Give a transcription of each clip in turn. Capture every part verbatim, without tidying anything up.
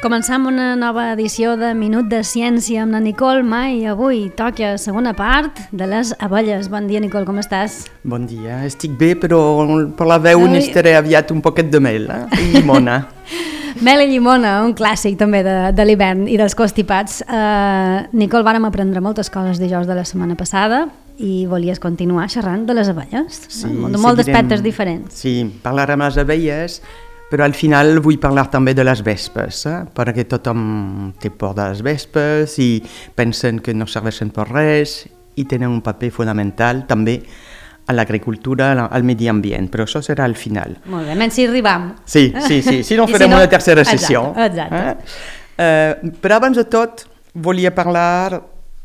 Començam una nova edició de Minut de Ciència amb la Nicole Ma i avui toca segona part de les abelles. Bon dia, Nicole, com estàs? Bon dia, estic bé, però per la veu Ai. N'estaré aviat un poquet de mel eh? I llimona. Mel i llimona, un clàssic també de, de l'hivern i dels constipats. Uh, Nicole, vàrem aprendre moltes coses dijous de la setmana passada i volies continuar xerrant de les abelles, sí, no? De molts aspectes diferents. Sí, parlarem de les abelles, però al final vull parlar també de les vespes, eh? Perquè tothom té por de les vespes i pensen que no serveixen per res i tenen un paper fonamental també a l'agricultura, al medi ambient, però això serà al final. Molt bé, menys si arribam. Sí, sí, sí, si no farem si no... una tercera sessió. Exacte, exacte. Eh? Eh, però abans de tot volia parlar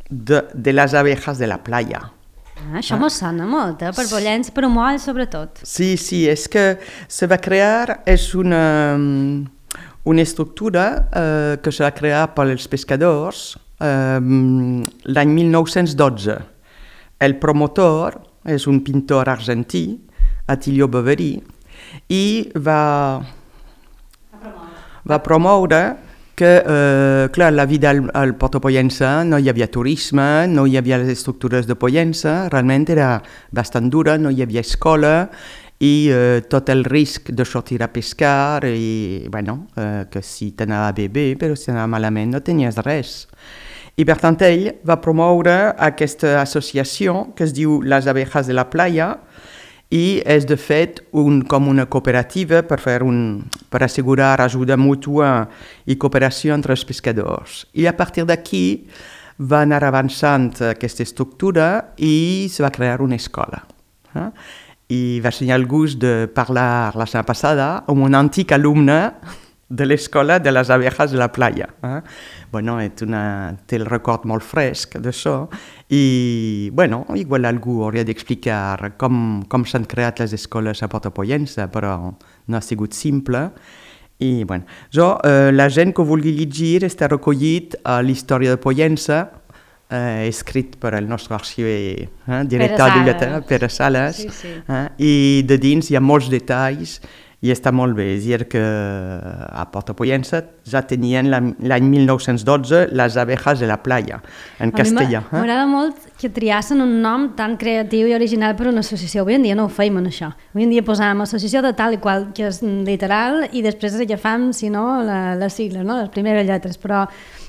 de, de les abejas de la playa. Ah, això ah. mos sona molt, eh? Per Pollens, per Moll, sobretot. Sí, sí, és que se va crear, és una, una estructura eh, que se va crear pels pescadors eh, l'any mil nou-cents dotze. El promotor és un pintor argentí, Attilio Boveri, i va, va promoure que, eh, clar, la vida al, al Porto Pollença no hi havia turisme, no hi havia les estructures de Pollença, realment era bastant dura, no hi havia escola i eh, tot el risc de sortir a pescar i, bueno, eh, que si t'anava bé, bé, però si t'anava malament no tenies res. I per tant ell va promoure aquesta associació que es diu Les Abejas de la Playa i és de fet un, com una cooperativa per, fer un, per assegurar ajuda mútua i cooperació entre els pescadors. I a partir d'aquí va anar avançant aquesta estructura i se va crear una escola. Eh? I vaig tenir el gust de parlar la setmana passada amb un antic alumne de l'escola de les abejas de la playa. Eh? Bueno, una, té el record molt fresc d'això i, bueno, igual algú hauria d'explicar com, com s'han creat les escoles a Porto Pollença, però no ha sigut simple. I, bueno, jo, eh, la gent que vulgui llegir està recollit a l'Història de Pollença, eh, escrit per el nostre arxiver, eh, director de biblioteca, Pere Sales, sí, sí. Eh, i de dins hi ha molts detalls i està molt bé, és a dir que a Porto Pollença ja tenien l'any mil nou-cents dotze les abejas de la playa, en castellà. A mi m'agrada molt que triassen un nom tan creatiu i original per una associació. Avui en dia no ho feim en això. Avui en dia posàvem associació de tal i qual, que és literal, i després agafam, si no, la, les sigles, no? Les primeres lletres, però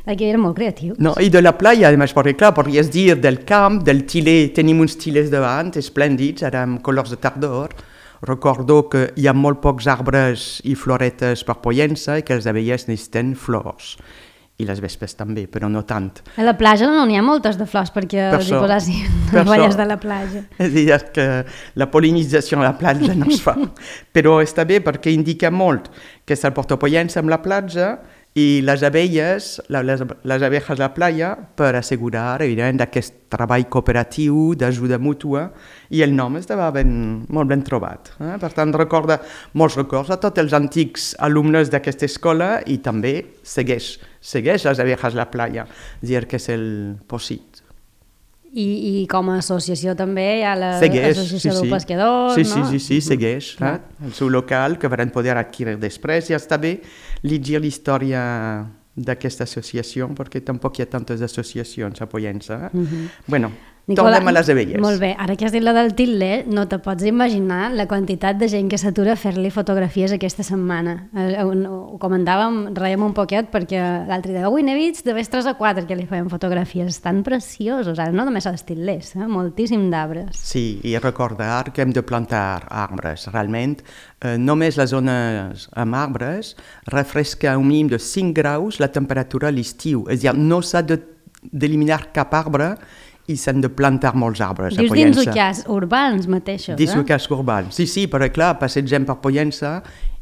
aquí era molt creatiu. No, i de la playa, además, perquè clar, podries dir del camp, del tiler, tenim uns tilers davant, esplèndids, ara amb colors de tardor. Recordo que hi ha molt pocs arbres i floretes per Pollença i que les abelles necessiten flors. I les vespes també, però no tant. A la platja no n'hi ha moltes de flors perquè per els hi posassin abelles de la platja. És a dir, que la pol·linització a la platja no es fa. Però està bé perquè indica molt que és el Porto Pollença amb la platja i les abelles, les, les abejas de la playa, per assegurar, evidentment, aquest treball cooperatiu d'ajuda mútua, i el nom estava ben, molt ben trobat. Eh? Per tant, recorda molts records a tots els antics alumnes d'aquesta escola i també segueix, segueix les abejas de la playa, és a dir, que és el Posit. I, i com a associació també hi ha l'associació sí, dels sí. pescadors, sí, no? Sí, sí, sí, segueix. Eh? El seu local, que van poder adquirir després, ja està bé llegir la història d'aquesta associació, perquè tampoc hi ha tantes associacions a Pollença. Eh? Uh-huh. Bueno, Nicola, tornem a les abelles. Molt bé, ara que has dit la del Tilde, no te pots imaginar la quantitat de gent que s'atura a fer-li fotografies aquesta setmana. Ho comentàvem, reiem un poquet, perquè l'altre dia, avui n'he vist de vegades tres o quatre que li feien fotografies. Estan preciosos, ara no només els Tilders, eh? Moltíssim d'arbres. Sí, i recordar que hem de plantar arbres. Realment, eh, només les zones amb arbres refresca un mínim de cinc graus la temperatura a l'estiu. És a dir, no s'ha d'eliminar cap arbre i s'han de plantar molts arbres Dius a Pollença. Dius dins ucars urbans mateixos, dins eh? ucars urbans, sí, sí, perquè clar, passegem per Pollença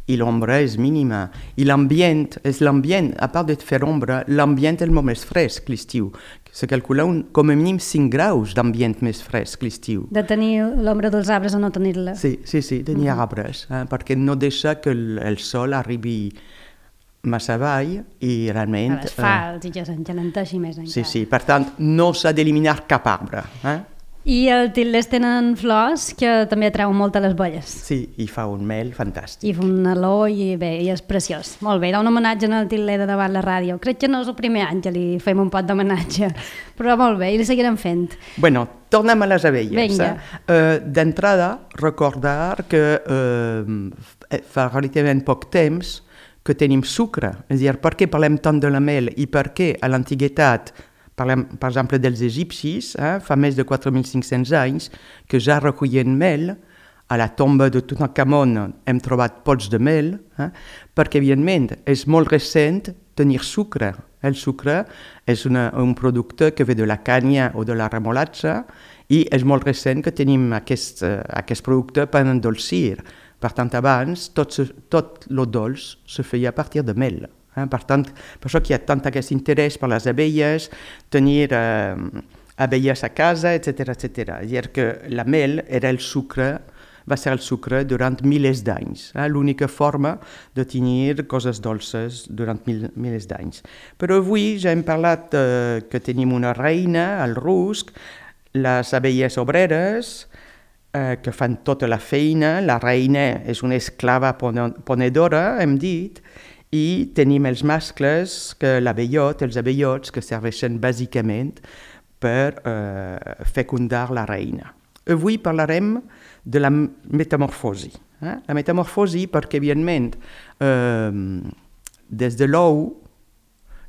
i l'ombra és mínima. I l'ambient, és l'ambient, a part de fer ombra, l'ambient és molt més fresc l'estiu. Se calcula un, com a mínim cinc graus d'ambient més fresc l'estiu. De tenir l'ombra dels arbres o no tenir-la. Sí, sí, sí, tenir uh-huh. arbres, eh? perquè no deixa que el, el sol arribi massa avall i realment... A l'asfalt, eh, i que s'engelenteixi més encara. Sí, sí, per tant, no s'ha d'eliminar cap arbre. Eh? I els til·lers tenen flors que també atrauen molt a les abelles. Sí, i fa un mel fantàstic. I fa una olor i bé, i és preciós. Molt bé, era un homenatge al til·ler de davant la ràdio. Crec que no és el primer any que li fem un pot d'homenatge, però molt bé, i li seguirem fent. Bueno, tornem a les abelles. Vinga. Eh? Uh, D'entrada, recordar que uh, fa relativament poc temps que tenim sucre. És a dir, per què parlem tant de la mel i per què a l'antiguitat parlem, per exemple, dels egipcis, eh? Fa més de quatre mil cinc-cents anys que ja recollien mel. A la tomba de Tutankamon hem trobat pots de mel, eh? Perquè, evidentment, és molt recent tenir sucre. El sucre és una, un producte que ve de la canya o de la remolatxa i és molt recent que tenim aquest, uh, aquest producte per endolcir. Per tant, abans, tot, tot lo dolç se feia a partir de mel. Eh? Per tant, per això que hi ha tant aquest interès per les abelles, tenir eh, abelles a casa, etcètera, etcètera. És a dir, que la mel era el sucre, va ser el sucre durant milers d'anys. Eh? L'única forma de tenir coses dolces durant mil, milers d'anys. Però avui ja hem parlat eh, que tenim una reina, el rusc, les abelles obreres, eh, que fan tota la feina, la reina és una esclava ponedora, hem dit, i tenim els mascles, que l'abellot, els abellots, que serveixen bàsicament per eh, fecundar la reina. Avui parlarem de la metamorfosi. Eh? La metamorfosi perquè, evidentment, eh, des de l'ou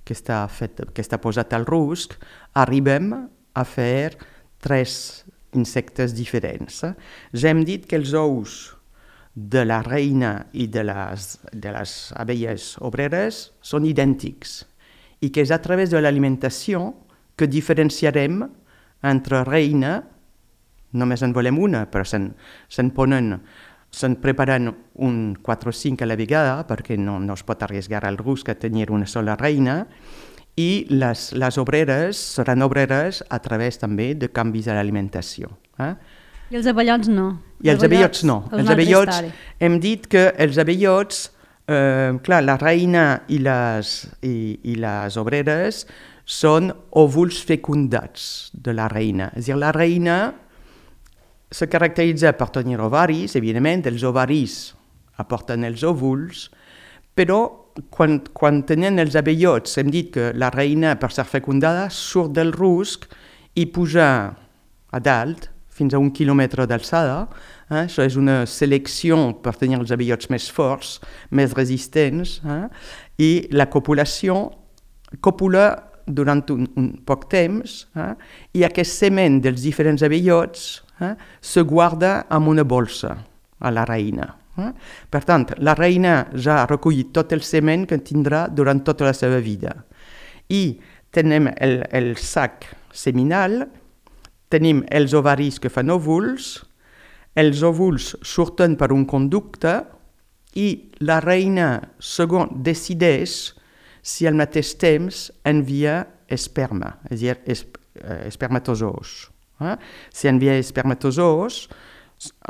que està, fet, que està posat al rusc, arribem a fer tres insectes diferents. Eh? Ja hem dit que els ous de la reina i de les, de les abelles obreres són idèntics i que és a través de l'alimentació que diferenciarem entre reina, només en volem una, però se'n, se'n ponen, se'n preparen un quatre o cinc a la vegada perquè no, no es pot arriesgar al rusc a tenir una sola reina, i les, les obreres seran obreres a través també de canvis a l'alimentació. Eh? I els abellots no. I els abellots no. Els abellots, hem dit que els abellots, eh, clar, la reina i les, i, i les obreres són òvuls fecundats de la reina. És a dir, la reina se caracteritza per tenir ovaris, evidentment, els ovaris aporten els òvuls, però quan, quan tenen els abellots, hem dit que la reina, per ser fecundada, surt del rusc i puja a dalt, fins a un quilòmetre d'alçada. Eh? Això és una selecció per tenir els abellots més forts, més resistents, eh? I la copulació copula durant un, un poc temps, eh? I aquest semen dels diferents abellots eh? se guarda en una bolsa a la reina. Eh? Per tant, la reina ja ha recollit tot el semen que tindrà durant tota la seva vida. I tenim el, el sac seminal, tenim els ovaris que fan òvuls, els òvuls surten per un conducte i la reina segon decideix si al mateix temps envia esperma, és a dir, esp espermatozoos. Eh? Si envia espermatozoos,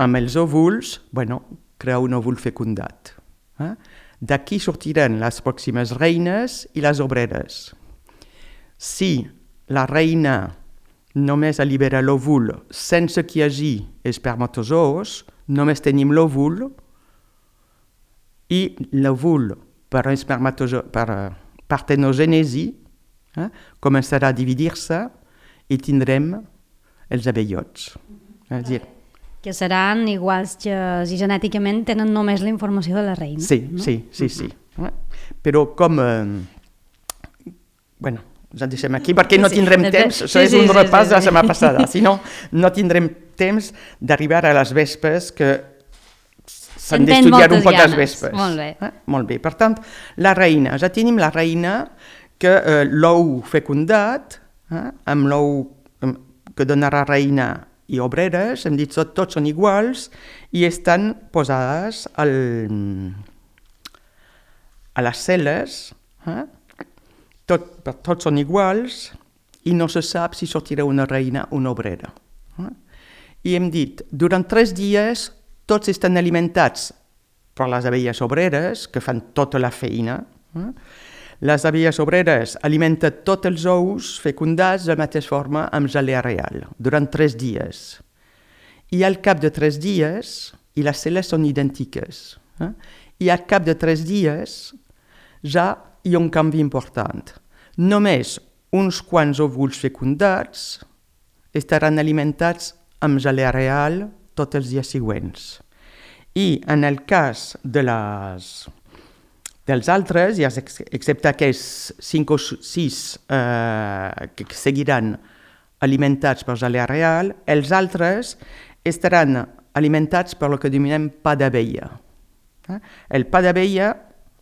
amb els òvuls, bueno, crea un òvul fecundat. Eh? D'aquí sortiran les pròximes reines i les obreres. Si la reina només allibera l'òvul sense que hi hagi espermatozoos, només tenim l'òvul i l'òvul per, per partenogènesi eh, començarà a dividir-se i tindrem els abellots. És a dir, que seran iguals que si genèticament tenen només la informació de la reina. Sí, no? sí, sí, sí. Uh-huh. Però com... Eh, bueno, ja deixem aquí perquè no tindrem sí, temps, això sí, és un sí, repàs sí, sí. de la setmana passada, si no, no tindrem temps d'arribar a les vespes que s'han d'estudiar un poc les vespes. Molt bé. Eh? Molt bé. Per tant, la reina, ja tenim la reina que eh, l'ou fecundat, eh, amb l'ou que donarà reina i obreres, hem dit que tots són iguals i estan posades al, a les cel·les, eh? Tot, tots són iguals i no se sap si sortirà una reina o una obrera. Eh? I hem dit, durant tres dies tots estan alimentats per les abelles obreres, que fan tota la feina. Eh? Les abelles obreres alimenten tots els ous fecundats de la mateixa forma amb gelea real, durant tres dies. I al cap de tres dies, i les cel·les són idèntiques, eh? I al cap de tres dies ja hi ha un canvi important. Només uns quants òvuls fecundats estaran alimentats amb gelea real tots els dies següents. I en el cas de les, dels altres, excepte aquests cinc o sis eh, que seguiran alimentats per gelea real, els altres estaran alimentats per el que denominem pa d'abella. Eh? El pa d'abella,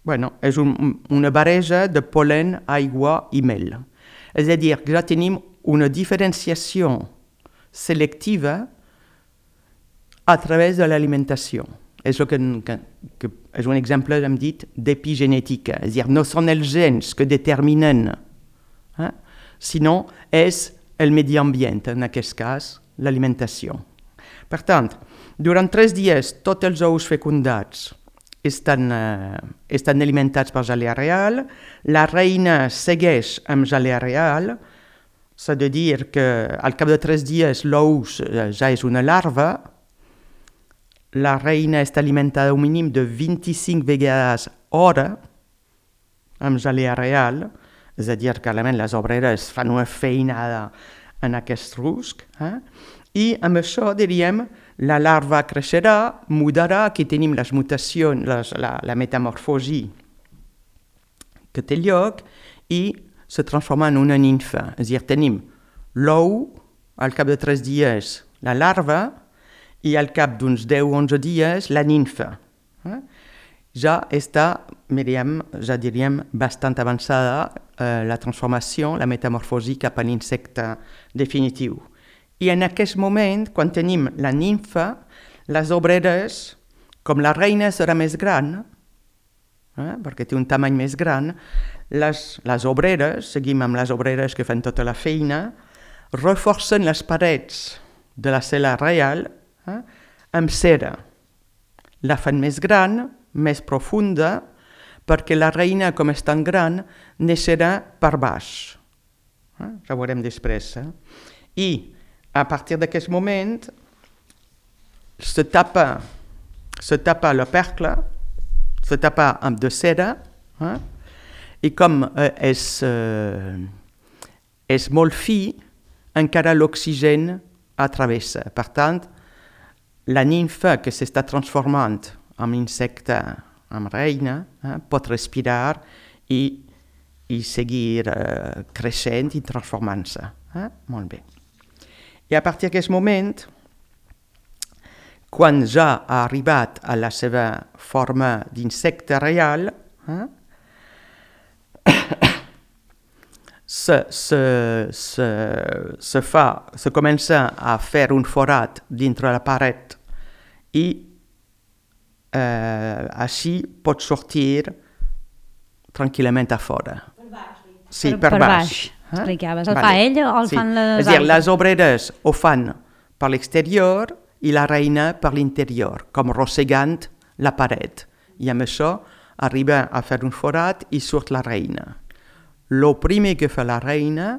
bueno, és un, una barreja de pol·len, aigua i mel. És a dir, que ja tenim una diferenciació selectiva a través de l'alimentació. És, que, que, que és un exemple, hem dit, d'epigenètica. És a dir, no són els gens que determinen, eh? sinó és el medi ambient, en aquest cas, l'alimentació. Per tant, durant tres dies, tots els ous fecundats estan, eh, estan alimentats per gelea real, la reina segueix amb gelea real, s'ha de dir que al cap de tres dies l'ous ja és una larva, la reina està alimentada un mínim de vint-i-cinc vegades hora amb gelea real, és a dir, que realment les obreres fan una feinada en aquest rusc, eh? I amb això, diríem, la larva creixerà, mudarà, aquí tenim les mutacions, les, la, la metamorfosi que té lloc, i se transforma en una ninfa. És a dir, tenim l'ou, al cap de tres dies la larva, i al cap d'uns deu o onze dies la ninfa. Eh? Ja està, diríem, ja diríem, bastant avançada eh, la transformació, la metamorfosi cap a l'insecte definitiu. I en aquest moment, quan tenim la ninfa, les obreres, com la reina serà més gran, eh, perquè té un tamany més gran, les, les obreres, seguim amb les obreres que fan tota la feina, reforcen les parets de la cel·la real eh, amb cera. La fan més gran, més profunda, perquè la reina, com és tan gran, neixerà per baix. Eh? Ja ho veurem després. Eh? I a partir d'aquest moment se tapa, se tapa l'opercle, se tapa amb de cera, eh? I com eh, és, eh, és molt fi, encara l'oxigen atravessa. Per tant, la ninfa que s'està transformant en insecte, en reina, eh, pot respirar i, i seguir eh, creixent i transformant-se. Eh? Molt bé. I a partir d'aquest moment, quan ja ha arribat a la seva forma d'insecte real, eh, se, se, se, se, fa, se comença a fer un forat dintre la paret i eh, així pot sortir tranquil·lament a fora. Per baix. Sí, per, per, per baix. baix. Eh? Explicaves. El vale. fa ella o el sí. fan les És a dir, altres? les obreres ho fan per l'exterior i la reina per l'interior, com rossegant la paret. I amb això arriba a fer un forat i surt la reina. Lo primer que fa la reina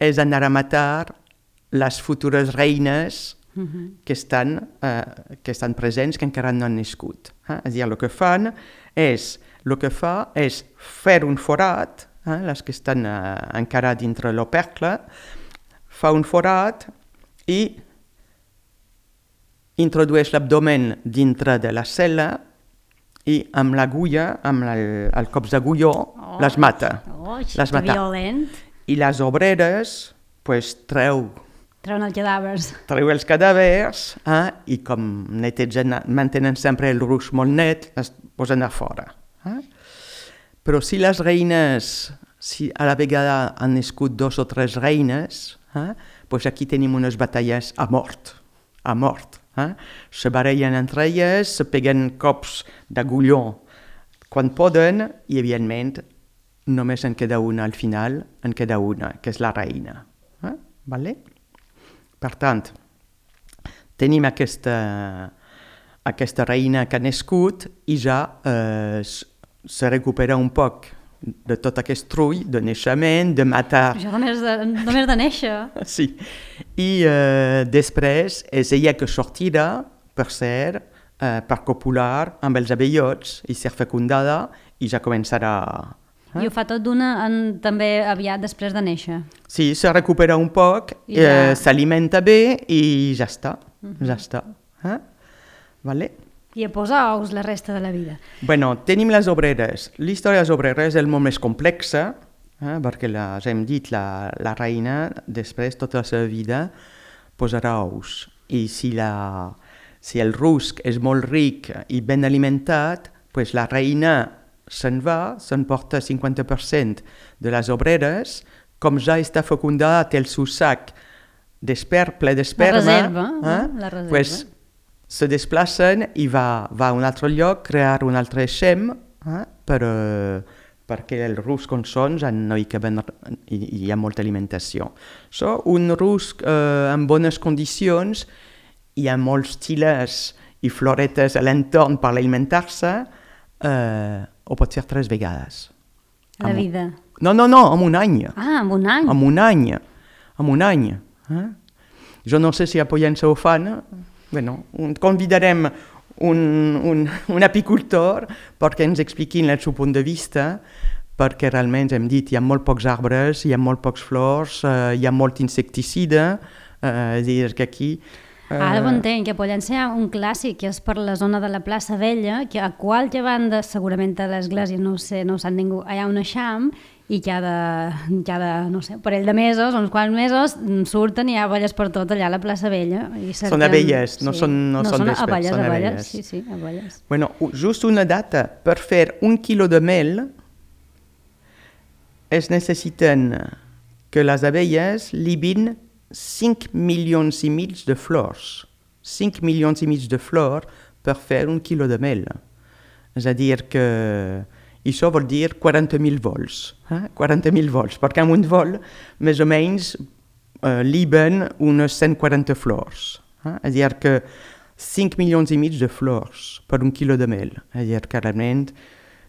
és anar a matar les futures reines uh-huh. que, estan, eh, que estan presents, que encara no han nascut. Eh? És a dir, el que fan és, el que fa és fer un forat, eh? les que estan eh, encara dintre l'opercle, fa un forat i introdueix l'abdomen dintre de la cel·la i amb l'agulla, amb el, el cops d'agulló, oh, les mata. Oh, les mata. Violent. I les obreres, pues, treu, treuen els cadàvers. treu els cadàvers eh, i com netegen, mantenen sempre el rusc molt net, es posen a fora. Eh? Però si les reines, si a la vegada han nascut dos o tres reines, eh, pues aquí tenim unes batalles a mort, a mort. Eh? Se barallen entre elles, se peguen cops d'agulló quan poden i, evidentment, només en queda una al final, en queda una, que és la reina. Eh? Vale? Per tant, tenim aquesta, aquesta reina que ha nascut i ja eh, se recupera un poc de tot aquest trull de naixement, de matar... Això només de, només de néixer. Sí. I eh, després és ella que sortirà, per ser, eh, per copular amb els abellots i ser fecundada i ja començarà... Eh? I ho fa tot d'una en, també aviat després de néixer. Sí, se recupera un poc, I ja... eh, s'alimenta bé i ja està, uh-huh. ja està. Eh? Vale? I a posar ous la resta de la vida. Bueno, tenim les obreres. L'història de les obreres és molt més complexa, eh, perquè la, ja hem dit, la, la reina, després, tota la seva vida, posarà ous. I si, la, si el rusc és molt ric i ben alimentat, pues la reina se'n va, se'n porta cinquanta per cent de les obreres, com ja està fecundada, té el seu sac d'esper, ple d'esperma, la reserva, eh? la reserva. Pues, se desplacen i va, va a un altre lloc, crear un altre xem, eh? per, uh, perquè el rusc on són ja no hi, caben, hi, hi ha molta alimentació. So, un rusc uh, en bones condicions, hi ha molts tilers i floretes a l'entorn per alimentar-se, uh, o pot ser tres vegades. La amb... vida? No, no, no, en un any. Ah, en un any? En un any, en un any. Eh? Jo no sé si a Pollença ho fan. Bueno, convidarem un, un, un apicultor perquè ens expliquin el seu punt de vista, perquè realment hem dit hi ha molt pocs arbres, hi ha molt pocs flors, eh, hi ha molt insecticida, eh, és a dir que aquí... Uh... Ara ho entenc, que a Pollença hi ha un clàssic que és per la zona de la plaça Vella, que a qualque banda, segurament a l'església, no ho sé, no ho sap ningú, hi ha un eixam i cada, cada, no sé, parell de mesos, uns quants mesos, surten i hi ha abelles per tot allà a la plaça Vella. I cerquen... Són abelles, no sí. són, no no són són vespes, abelles, són abelles. abelles. Sí, sí, abelles. Bueno, just una data, per fer un quilo de mel es necessiten que les abelles libin cinc milions i mig de flors. cinc milions i mig de flors per fer un quilo de mel. És a dir que això vol dir quaranta mil vols. Eh? quaranta mil vols, perquè en un vol més o menys eh, liben unes cent quaranta flors. Eh? És a dir que cinc milions i mig de flors per un quilo de mel. És a dir que realment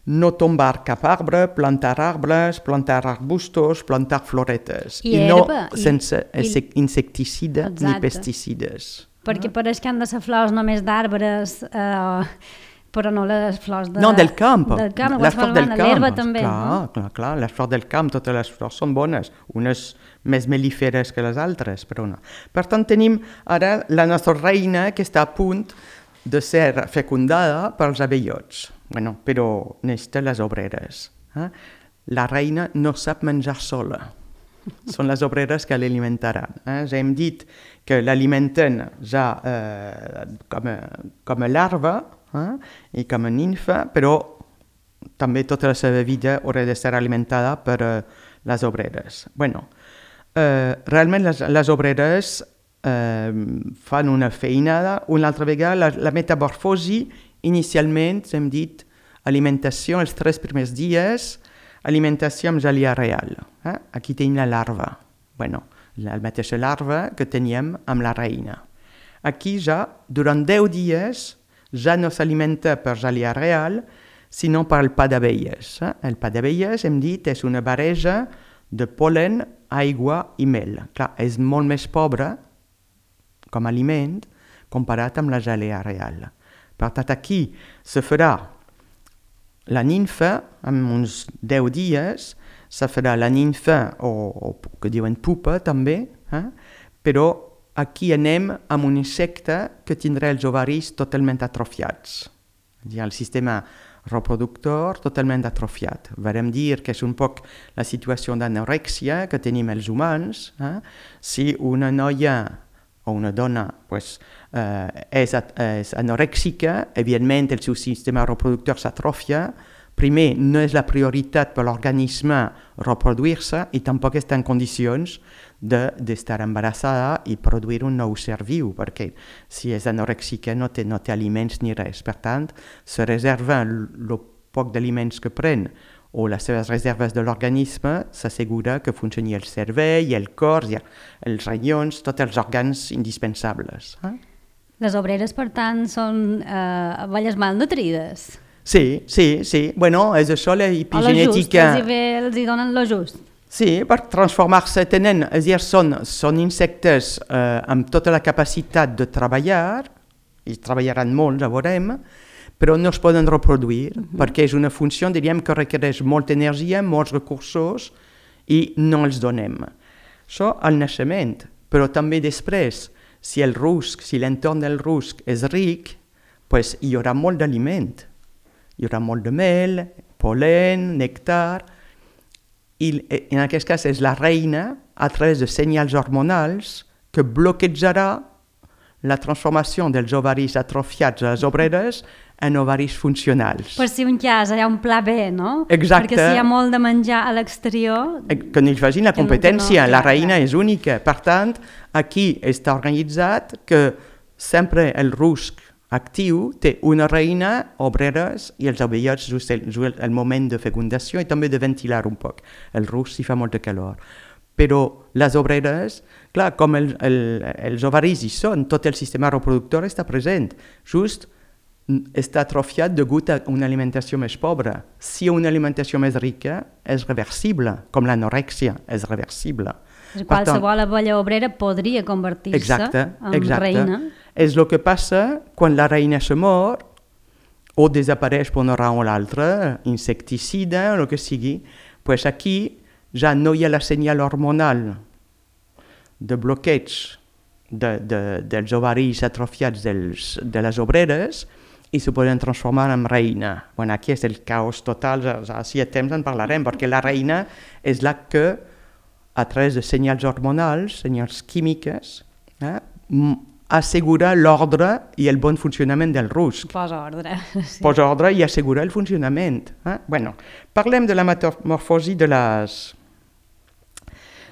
no tombar cap arbre, plantar arbres, plantar arbustos, plantar floretes. I, I herba, no sense i, insecticida exacte. ni pesticides. Perquè pareix que han de ser flors només d'arbres, eh, però no les flors de... No, del camp. Del camp, les flors del camp. L'herba també. Clar, no? clar, clar, les flors del camp, totes les flors són bones. Unes més melíferes que les altres, però no. Per tant, tenim ara la nostra reina que està a punt de ser fecundada pels abellots. Bueno, però necessita les obreres. Eh? La reina no sap menjar sola. Són les obreres que l'alimentaran. Eh? Ja hem dit que l'alimenten ja eh, com, a, com a larva eh? i com a ninfa, però també tota la seva vida haurà de ser alimentada per eh, les obreres. Bueno, eh, realment les, les obreres eh, fan una feinada. Una altra vegada, la, la metamorfosi inicialment, hem dit, alimentació els tres primers dies, alimentació amb gelea real. Eh? Aquí tenim la larva. Bueno, la mateixa larva que teníem amb la reina. Aquí ja, durant deu dies, ja no s'alimenta per gelea real, sinó per el pa d'abelles. Eh? El pa d'abelles, hem dit, és una barreja de pol·len, aigua i mel. Clar, és molt més pobre com a aliment comparat amb la gelea real. Per tant, aquí se farà la ninfa, en uns deu dies, se farà la ninfa, o, o que diuen pupa també, eh? Però aquí anem amb un insecte que tindrà els ovaris totalment atrofiats. El sistema reproductor totalment atrofiat. Varem dir que és un poc la situació d'anorèxia que tenim els humans. Eh? Si una noia o una dona pues, eh, és, és anorèxica, evidentment el seu sistema reproductor s'atrofia. Primer, no és la prioritat per l'organisme reproduir-se i tampoc està en condicions d'estar de, embarassada i produir un nou ser viu, perquè si és anorèxica no té, no té aliments ni res. Per tant, se reserva el poc d'aliments que pren o les seves reserves de l'organisme, s'assegura que funcioni el cervell, el cor, els ronyons, tots els òrgans indispensables. Eh? Les obreres, per tant, són eh, abelles malnutrides? Sí, sí, sí. Bueno, és això, O l'epigenètica... lo just, els hi, ve, els hi donen lo just. Sí, per transformar-se tenen, és a dir, són, són insectes eh, amb tota la capacitat de treballar, i treballaran molt, ja veurem, però no es poden reproduir, uh-huh. perquè és una funció, diríem, que requereix molta energia, molts recursos, i no els donem. Això al naixement, però també després, si el rusc, si l'entorn del rusc és ric, pues hi haurà molt d'aliment. Hi haurà molt de mel, pol·len, nèctar, i en aquest cas és la reina, a través de senyals hormonals, que bloquejarà la transformació dels ovaris atrofiats a les obreres en ovaris funcionals. Per si un cas hi ha un pla B, no? Exacte. Perquè si hi ha molt de menjar a l'exterior... Que no hi facin la competència, no, no, la reina és única. Per tant, aquí està organitzat que sempre el rusc actiu té una reina, obreres i els ovellets just el, just el moment de fecundació i també de ventilar un poc. El rusc si fa molta calor. Però les obreres, clar, com el, el, els ovaris hi són, tot el sistema reproductor està present. Just està atrofiat degut a una alimentació més pobra. Si una alimentació més rica és reversible, com l'anorèxia és reversible. Qualsevol abella obrera podria convertir-se exacte, en exacte. reina. És el que passa quan la reina se mor o desapareix per una raó o l'altra, insecticida o el que sigui, pues aquí ja no hi ha la senyal hormonal de bloqueig de, de, dels ovaris atrofiats dels, de les obreres i se poden transformar en reina. Bueno, aquí és el caos total, ja, ja, si hi ha temps en parlarem, perquè la reina és la que, a través de senyals hormonals, senyals químiques, eh, assegura l'ordre i el bon funcionament del rusc. Posa ordre. Sí. Posa ordre i assegura el funcionament. Eh? Bueno, parlem de la metamorfosi de les,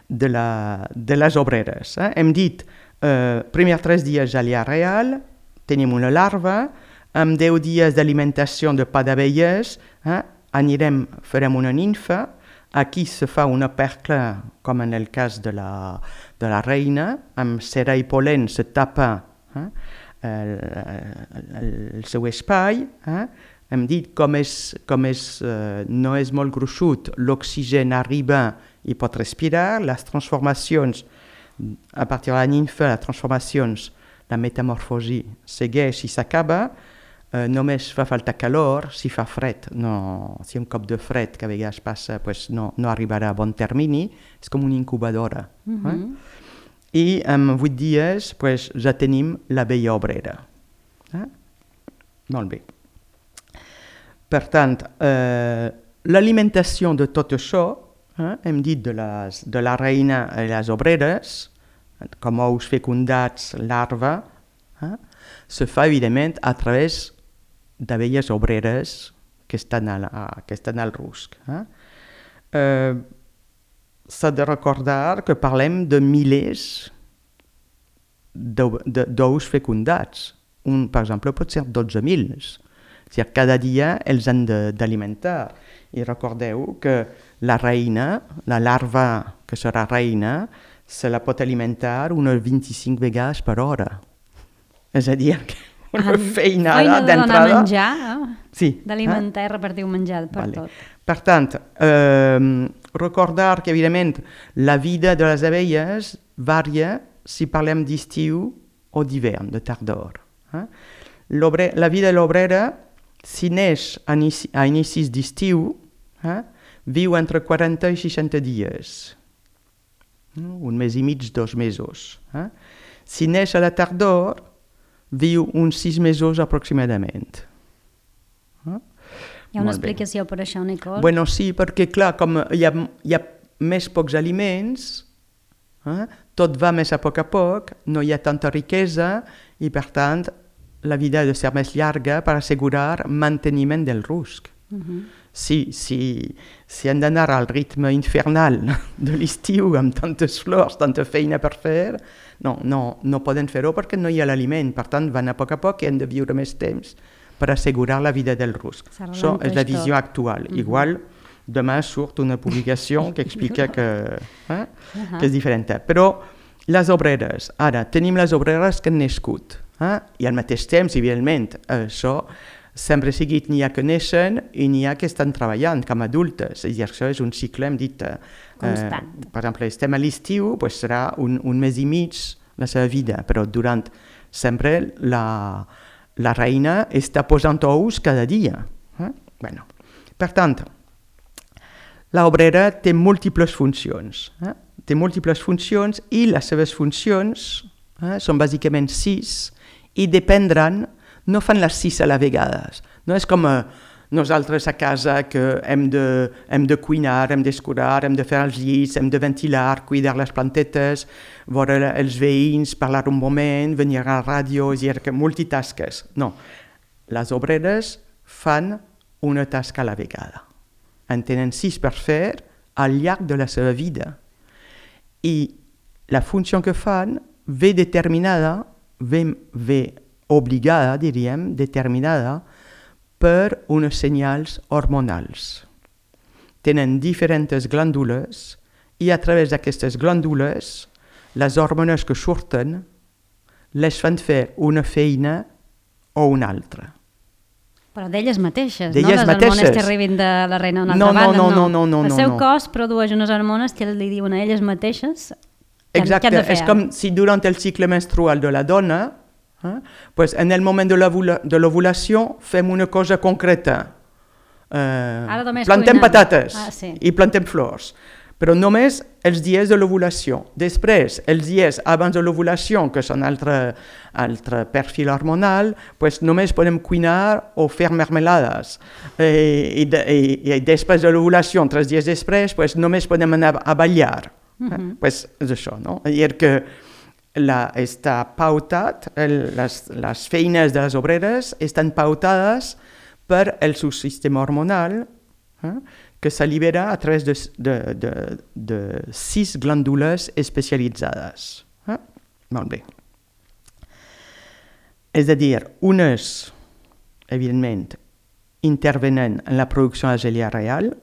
de la, de les obreres. Eh? Hem dit, eh, primers tres dies a l'ia real, tenim una larva, amb deu dies d'alimentació de pa d'abelles, eh? anirem, farem una ninfa, aquí se fa una percla, com en el cas de la, de la reina, amb cera i pol·len se tapa eh, el, el, el seu espai. Eh. Hem dit com, és, com és, eh, no és molt gruixut, l'oxigen arriba i pot respirar, les transformacions, a partir de la ninfa, les transformacions, la metamorfosi segueix i s'acaba. Uh, només fa falta calor, si fa fred, no, si un cop de fred que a vegades passa, pues no, no arribarà a bon termini, és com una incubadora. Mm-hmm. eh? I en vuit dies pues, ja tenim l'abella obrera. Eh? Molt bé. Per tant, eh, l'alimentació de tot això, eh, hem dit de, les, de la reina i les obreres, com ous fecundats, larva, eh, se fa evidentment a través d'abelles obreres que estan, a la, que estan al rusc. Eh? Eh, S'ha de recordar que parlem de milers d'ous fecundats. Un, per exemple, pot ser dotze mil. És-a-dir, cada dia els han d'alimentar. I recordeu que la reina, la larva que serà reina, se la pot alimentar unes vint-i-cinc vegades per hora. És a dir, que una ah, feinada d'entrada... Feina de donar menjar, eh? Sí. D'alimentar eh? i repartir menjar per vale. Tot. Per tant, eh, recordar que, evidentment, la vida de les abelles varia si parlem d'estiu o d'hivern, de tardor. Eh? La vida de l'obrera, si neix a, inici, a inicis d'estiu, eh, viu entre quaranta i seixanta dies. Un mes i mig, dos mesos. Eh? Si neix a la tardor, viu uns sis mesos aproximadament. Eh? Hi ha una explicació per això, Nicole? Bueno, sí, perquè clar, com hi ha, hi ha més pocs aliments, eh? tot va més a poc a poc, no hi ha tanta riquesa i per tant la vida ha de ser més llarga per assegurar manteniment del rusc. Uh-huh. Si, si, si hem d'anar al ritme infernal de l'estiu amb tantes flors, tanta feina per fer, no, no, no poden fer-ho perquè no hi ha l'aliment. Per tant, van a poc a poc i hem de viure més temps per assegurar la vida del rusc. Això és la visió tot. Actual. Uh-huh. Igual, demà surt una publicació que explica que, eh, uh-huh. que és diferent. Però les obreres, ara, tenim les obreres que han nascut. Eh? I al mateix temps, evidentment, això sempre seguit n'hi ha que neixen i n'hi ha que estan treballant com a adultes. És a dir, això és un cicle, hem dit... Eh, constant. Eh, per exemple, estem a l'estiu, pues serà un, un mes i mig la seva vida, però durant sempre la, la reina està posant ous cada dia. Eh? Bueno, per tant, l'obrera té múltiples funcions. Eh? Té múltiples funcions i les seves funcions eh, són bàsicament sis i dependran, no fan les sis a la vegada. No és com eh, nosaltres a casa que hem de, hem de cuinar, hem d'escurar, hem de fer els llits, hem de ventilar, cuidar les plantetes, veure els veïns, parlar un moment, venir a la ràdio, és a dir, que multitasques. No, les obreres fan una tasca a la vegada. En tenen sis per fer al llarg de la seva vida. I la funció que fan ve determinada, ve, ve obligada, diríem, determinada per uns senyals hormonals. Tenen diferents glàndules i a través d'aquestes glàndules les hormones que surten les fan fer una feina o una altra. Però d'elles mateixes, d'elles no? Les mateixes. hormones que arribin de la reina a una no, altra no, banda, no. no, no, no El no, seu no. cos produeix unes hormones que li diuen a elles mateixes que, Exacte, que han de fer. És com si durant el cicle menstrual de la dona, eh, pues en el moment de l'ovulació fem una cosa concreta. Eh, plantem cuinant. patates ah, sí. i plantem flors. Però només els dies de l'ovulació. Després, els dies abans de l'ovulació, que són altre, altre perfil hormonal, pues només podem cuinar o fer mermelades. Eh, i, de, i, I després de l'ovulació, tres dies després, pues només podem anar a ballar. Uh-huh. eh? Pues és això, no? És dir, que la, està pautat, el, les, les feines de les obreres estan pautades per el seu sistema hormonal, eh? que s'allibera a través de, de, de, de sis glàndules especialitzades. Eh? Molt bé. És a dir, unes, evidentment, intervenen en la producció de la gelea real,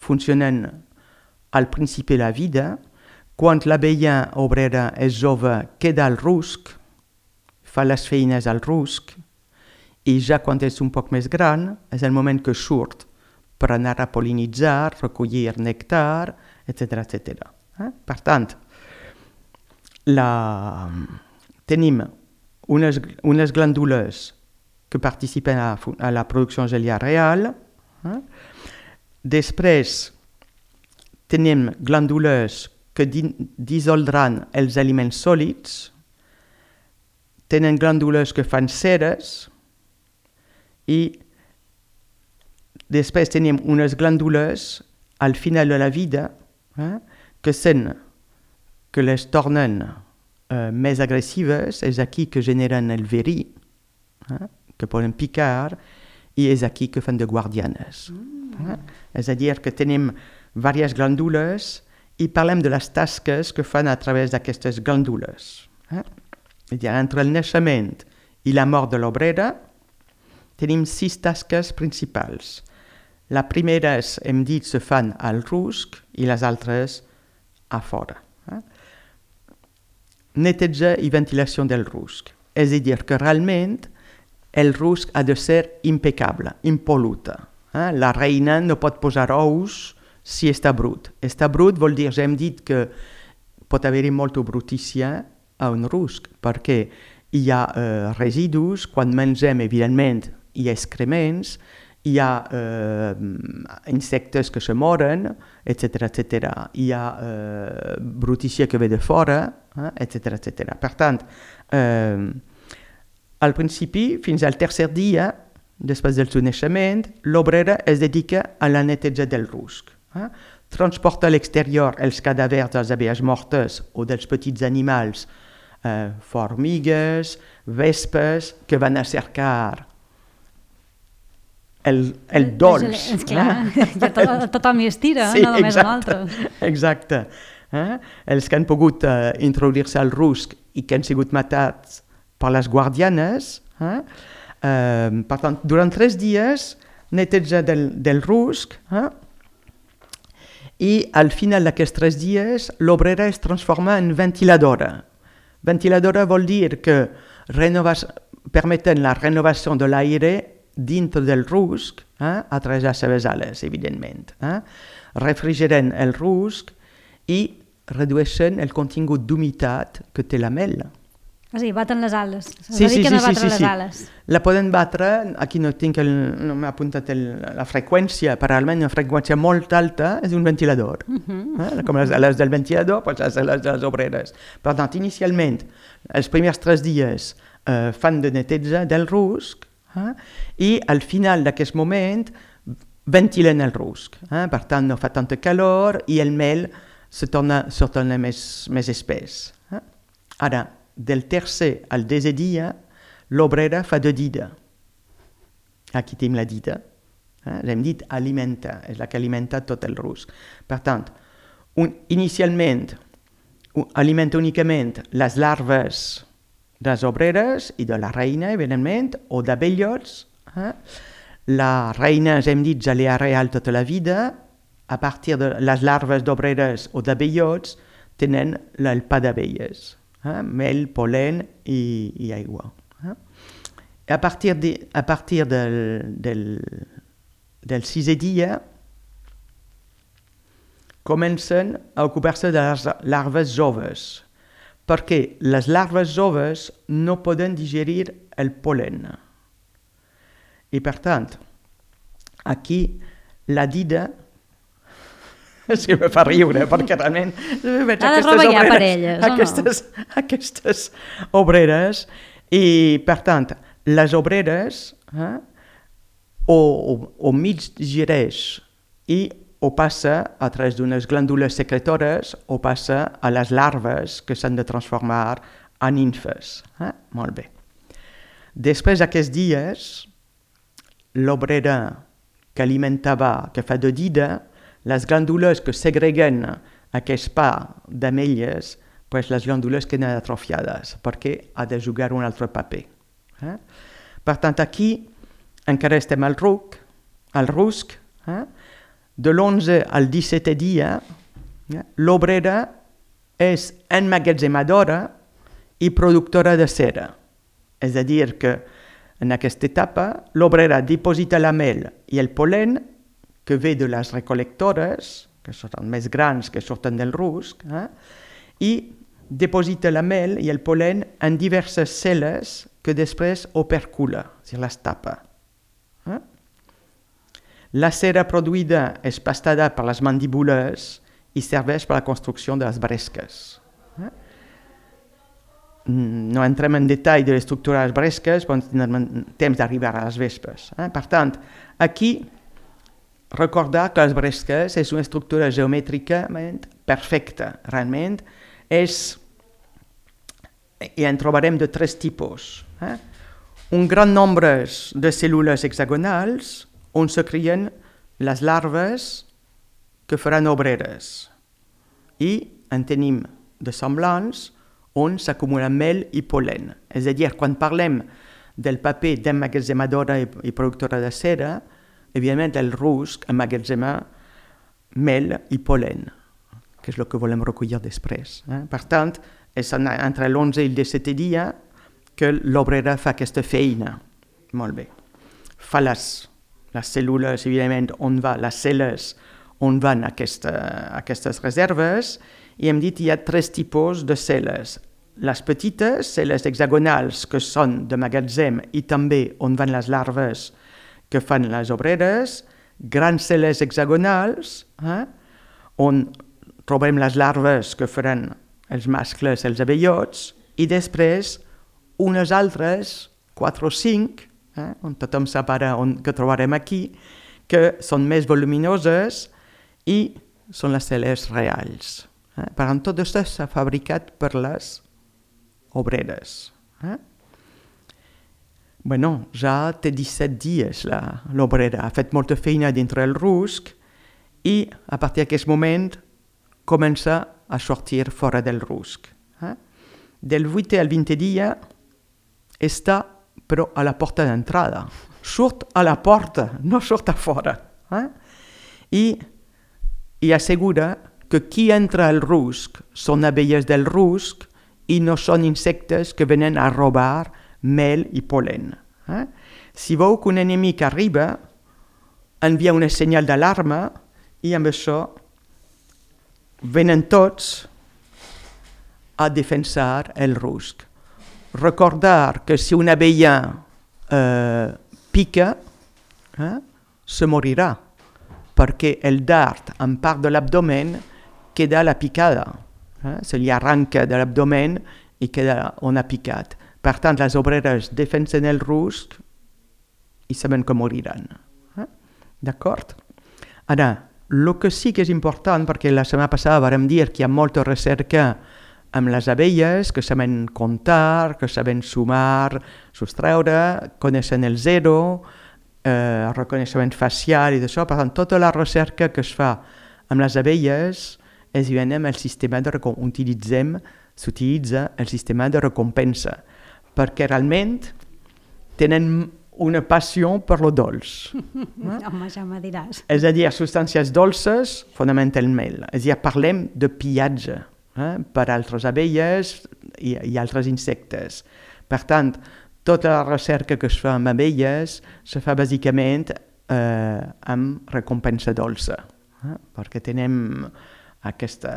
funcionen al principi de la vida, quan l'abella obrera és jove queda al rusc, fa les feines al rusc, i ja quan és un poc més gran, és el moment que surt per anar a pol·linitzar, recollir nèctar, etcètera, etcètera. Eh? Per tant, la... tenim unes, unes glàndules que participen a, a la producció de gelea real. Eh? Després, tenim glàndules que di, dissoldran els aliments sòlids, tenen glàndules que fan ceres i després tenim unes glàndules al final de la vida eh, que són, que les tornen eh, més agressives, és aquí que generen el verí, eh, que poden picar, i és aquí que fan de guardianes. Mm. Eh? És a dir, que tenim diverses glàndules i parlem de les tasques que fan a través d'aquestes glàndules. Eh? És a dir, entre el naixement i la mort de l'obrera tenim sis tasques principals. La primera, és, hem dit, se fan al rusc i les altres a fora. Eh? Neteja i ventilació del rusc. És a dir, que realment el rusc ha de ser impecable, impol·luta. Eh? La reina no pot posar ous si està brut. Està brut vol dir, ja hem dit que pot haver-hi molta brutícia a un rusc, perquè hi ha eh, residus, quan mengem, evidentment, hi ha excrements, hi ha eh, insectes que se moren, etcètera, etcètera. Hi ha eh, brutícia que ve de fora, eh, etcètera, etcètera. Per tant, eh, al principi, fins al tercer dia, després del seu naixement, l'obrera es dedica a la neteja del rusc. Eh? Transporta a l'exterior els cadàvers de les abelles mortes o dels petits animals, eh, formigues, vespes, que van a cercar el, el dolç. És clar, eh? ja to, tothom hi estira, sí, no només exacte, nosaltres. Exacte. Eh? Els que han pogut eh, introduir-se al rusc i que han sigut matats per les guardianes. Eh? Eh, per tant, durant tres dies, neteja del, del rusc, eh? i al final d'aquests tres dies, l'obrera es transforma en ventiladora. Ventiladora vol dir que renovas, permeten la renovació de l'aire dintre del rusc, eh, a través de les seves ales, evidentment. Eh? Refrigeren el rusc i redueixen el contingut d'humitat que té la mel. O sigui, baten les ales. Se sí, dediquen sí, sí, a batre sí, les sí. ales. La poden batre, aquí no tinc el, no m'ha apuntat el, la freqüència, però almenys una freqüència molt alta és un ventilador. Uh -huh. eh? Com les ales del ventilador, doncs les ales de les obreres. Per tant, inicialment, els primers tres dies eh, fan de neteja del rusc, eh? I al final d'aquest moment ventilen el rusc. Eh? Per tant, no fa tanta calor i el mel se torna, se torna més, més espès. Eh? Ara, del tercer al desè dia, l'obrera fa de dida. Aquí tenim la dida. Eh? L'hem dit alimenta, és la que alimenta tot el rusc. Per tant, un, inicialment un, alimenta únicament les larves de les obreres i de la reina, evidentment, o d'abellots. Eh? La reina, hem dit, ja li ha real tota la vida. A partir de les larves d'obreres o d'abellots tenen el pa d'abelles. Eh? Mel, polen i, i aigua. Eh? A partir, de, a partir del, del, del sisè dia comencen a ocupar-se de les larves joves, perquè les larves joves no poden digerir el polen. I per tant, aquí la dida, és que me fa riure, perquè realment veig ha de aquestes robar obreres, per elles, aquestes, o no? aquestes obreres, i per tant, les obreres eh, o, o, o mig digereix i o passa a través d'unes glàndules secretores o passa a les larves que s'han de transformar en nimfes. Eh? Molt bé. Després d'aquests dies, l'obrera que alimentava, que fa de dida, les glàndules que segreguen aquest pa d'ametlles, pues les glàndules queden atrofiades perquè ha de jugar un altre paper. Eh? Per tant, aquí encara estem al ruc, al rusc, eh? De l'onze al dissetè dia, eh? L'obrera és emmagatzemadora i productora de cera. És a dir, que en aquesta etapa l'obrera diposita la mel i el polen que ve de les recolectores, que són més grans que surten del rusc, eh? I diposita la mel i el polen en diverses cel·les que després opercula, és a dir, les tapa. Eh? La cera produïda és pastada per les mandíbules i serveix per la construcció de les bresques. Eh? No entrem en detall de l'estructura de les bresques, però tindrem temps d'arribar a les vespes. Eh? Per tant, aquí recordar que les bresques és una estructura geomètricament perfecta. Realment és, i en trobarem de tres tipus. Eh? Un gran nombre de cèl·lules hexagonals on se creen les larves que faran obreres. I en tenim de semblants on s'acumula mel i polen. És a dir, quan parlem del paper d'emmagatzemadora i, i productora de cera, evidentment el rusc emmagatzema mel i polen, que és el que volem recollir després. Eh? Per tant, és entre l'onze i el dissetè dia que l'obrera fa aquesta feina. Molt bé. Fa les, les cèl·lules, evidentment, on va, les cel·les on van aquesta, aquestes reserves, i hem dit que hi ha tres tipus de cel·les. Les petites, cel·les hexagonals, que són de magatzem i també on van les larves que fan les obreres, grans cel·les hexagonals, eh, on trobem les larves que faran els mascles, els abellots, i després unes altres, quatre o cinc, eh, on tothom sap ara on, que trobarem aquí, que són més voluminoses i són les cel·les reals. Eh? Per tant, tot això s'ha fabricat per les obreres. Eh? Bueno, ja té disset dies l'obrera, ha fet molta feina dintre el rusc i a partir d'aquest moment comença a sortir fora del rusc. Eh? Del vuitè al vintè dia està però a la porta d'entrada. Surt a la porta, no surt a fora. Eh? I, i assegura que qui entra al rusc són abelles del rusc i no són insectes que venen a robar mel i pol·len. Eh? Si veu que un enemic arriba, envia una senyal d'alarma i amb això venen tots a defensar el rusc. Recordar que si una abella eh, pica, eh, se morirà, perquè el dard en part de l'abdomen queda a la picada. Eh? Se li arranca de l'abdomen i queda on ha picat. Per tant, les obreres defensen el rusc i saben que moriran. Eh? D'acord? Ara, el que sí que és important, perquè la setmana passada vam dir que hi ha molta recerca amb les abelles, que saben comptar, que saben sumar, sostreure, coneixen el zero, eh, reconeixement facial i d'això. Per tant, tota la recerca que es fa amb les abelles és evidentment el sistema de recompensa. Utilitzem, s'utilitza el sistema de recompensa, perquè realment tenen una passió per lo dolç. Eh? Home, ja me diràs. És a dir, substàncies dolces, fonamentalment. És a dir, parlem de pillatge eh, per altres abelles i, i altres insectes. Per tant, tota la recerca que es fa amb abelles se fa bàsicament eh, amb recompensa dolça, eh, perquè tenem aquesta,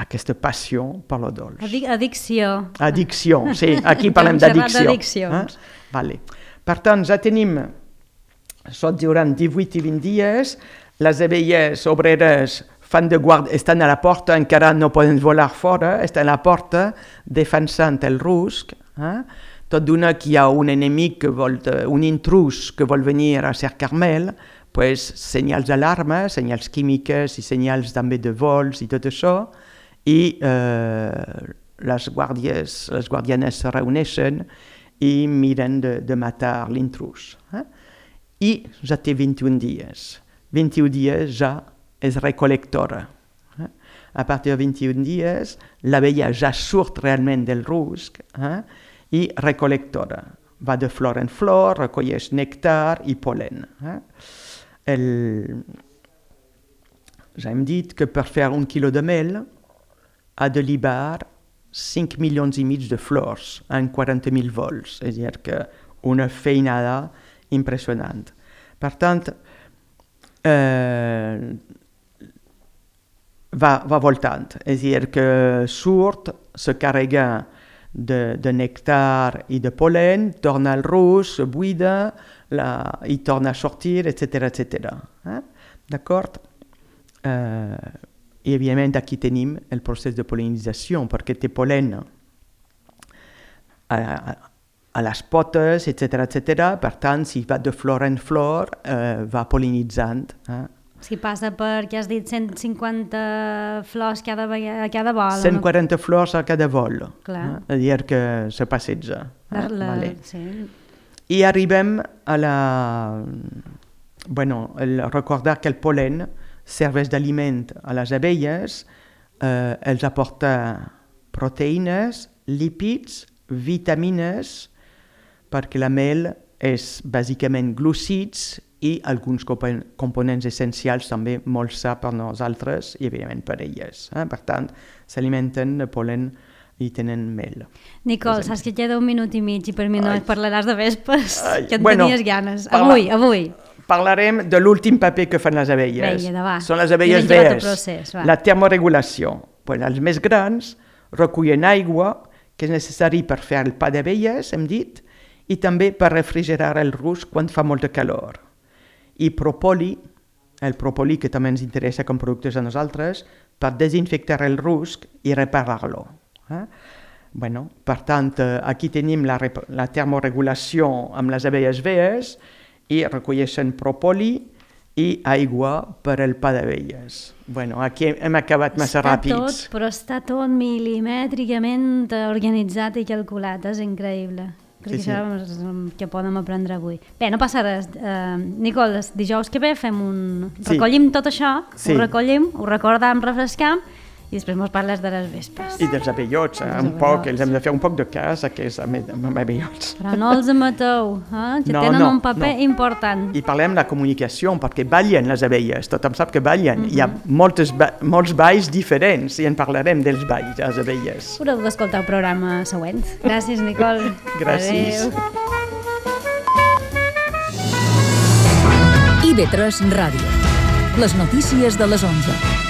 aquesta passió per lo dolç. Addic addicció. Addicció, sí, aquí parlem d'addicció. Eh? Vale. Per tant, ja tenim, sot durant divuit i vint dies, les abelles obreres fan de guarda, estan a la porta, encara no poden volar fora, estan a la porta defensant el rusc. Eh? Tot d'una que hi ha un enemic, que vol, un intrus que vol venir a cercar mel, pues, senyals d'alarma, senyals químiques i senyals també de vols i tot això, i eh, les guàrdies, les guardianes se reuneixen i miren de, de matar l'intrus. Eh? I ja té vint i un dies. vint i un dies ja és recolectora. Eh? A partir de vint i un dies, l'abella ja surt realment del rusc eh? i recolectora. Va de flor en flor, recolleix nèctar i pol·len. Eh? El... Ja hem dit que per fer un quilo de mel ha de libar cinc milions i mig de flors en quaranta mil vols, és a dir, que una feinada impressionant. Per tant, eh, va, va voltant, és a dir, que surt, se carrega de, de nèctar i de pol·len, torna al rusc, se buida la, i torna a sortir, etcètera, etcètera. Eh? D'acord? Eh, I, evidentment, aquí tenim el procés de pol·linització, perquè té pol·len a, a, a les potes, etcètera, etcètera. Per tant, si va de flor en flor, eh, va pol·linitzant. Eh? Si passa per, què has dit, cent cinquanta flors cada, a cada vol. cent quaranta no? Flors a cada vol. Clar. Eh? És a dir, que se passeja. La, eh? la, vale. Sí. I arribem a la... Bueno, el recordar que el pol·len serveix d'aliment a les abelles, eh, els aporta proteïnes, lípids, vitamines, perquè la mel és bàsicament glucids i alguns components essencials també molt sa per nosaltres i, evidentment, per elles. Eh? Per tant, s'alimenten de pol·len i tenen mel. Nicole, saps que queda un minut i mig i per mi no Ai. Parlaràs de vespes, Ai. Que en bueno, tenies ganes. parla... Avui, avui. Parlarem de l'últim paper que fan les abelles. Vinga, Són les abelles verds. La termoregulació. Pues els més grans recullen aigua, que és necessari per fer el pa d'abelles, hem dit, i també per refrigerar el rusc quan fa molta calor. I propoli, el propoli que també ens interessa com productes a nosaltres, per desinfectar el rusc i reparar-lo. Eh? Bueno, per tant, aquí tenim la, la termoregulació amb les abelles verds, i recolleixen propoli i aigua per al pa d'abelles. Bueno, aquí hem acabat massa està ràpids. Tot, però està tot milimètricament organitzat i calculat, és increïble. Crec sí, que això sí. És el que podem aprendre avui. Bé, no passa res. Uh, Nicole, dijous que ve fem un... Recollim sí. Tot això, sí. Ho recollim, ho recordam, refrescam, I després mos parles de les vespes. I dels abellots, eh? un poc, els hem de fer un poc de cas, aquests abellots. Però no els mateu, eh? que no, tenen no, un paper no. important. I parlem de la comunicació, perquè ballen les abelles, tothom sap que ballen. Mm-hmm. Hi ha Mhm. moltes, molts balls diferents i en parlarem dels balls de les abelles. Haureu d'escoltar el programa següent. Gràcies, Nicole. Gràcies. Adéu. I V tres Ràdio. Les notícies de les onze.